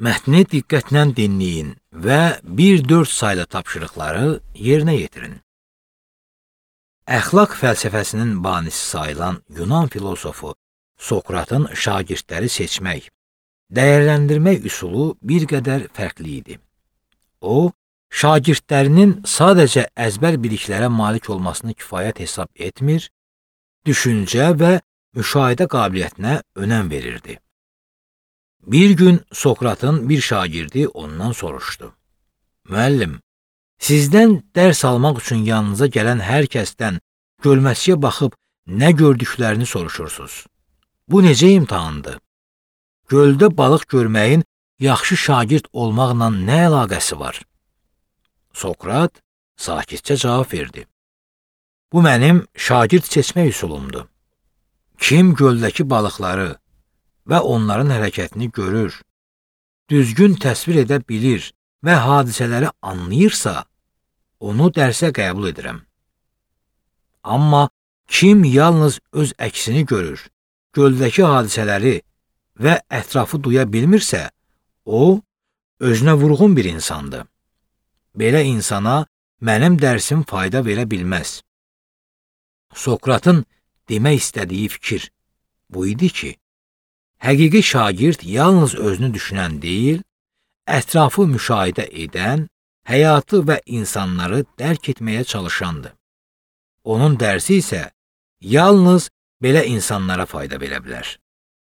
Mətni diqqətlə dinləyin və 1-4 saylı tapşırıqları yerinə yetirin. Əxlaq fəlsəfəsinin banisi sayılan Yunan filosofu Sokratın şagirdləri seçmək, dəyərləndirmək üsulu bir qədər fərqli idi. O, şagirdlərinin sadəcə əzbər biliklərə malik olmasını kifayət hesab etmir, düşüncə və müşahidə qabiliyyətinə önəm verirdi. Bir gün Sokratın bir şagirdi ondan soruşdu. Müəllim, sizdən dərs almaq üçün yanınıza gələn hər kəsdən gölməçəyə baxıb nə gördüklərini soruşursunuz. Bu necə imtahandır? Göldə balıq görməyin yaxşı şagird olmaqla nə əlaqəsi var? Sokrat sakitcə cavab verdi. Bu mənim şagird seçmək üsulumdur. Kim göldəki balıqları və onların hərəkətini görür, düzgün təsvir edə bilir və hadisələri anlayırsa, onu dərsə qəbul edirəm. Amma kim yalnız öz əksini görür, göldəki hadisələri və ətrafı duya bilmirsə, o, özünə vurğun bir insandır. Belə insana mənim dərsim fayda verə bilməz. Sokratın demək istədiyi fikir bu idi ki, həqiqi şagird yalnız özünü düşünən deyil, ətrafı müşahidə edən, həyatı və insanları dərk etməyə çalışandır. Onun dərsi isə yalnız belə insanlara fayda verə bilər.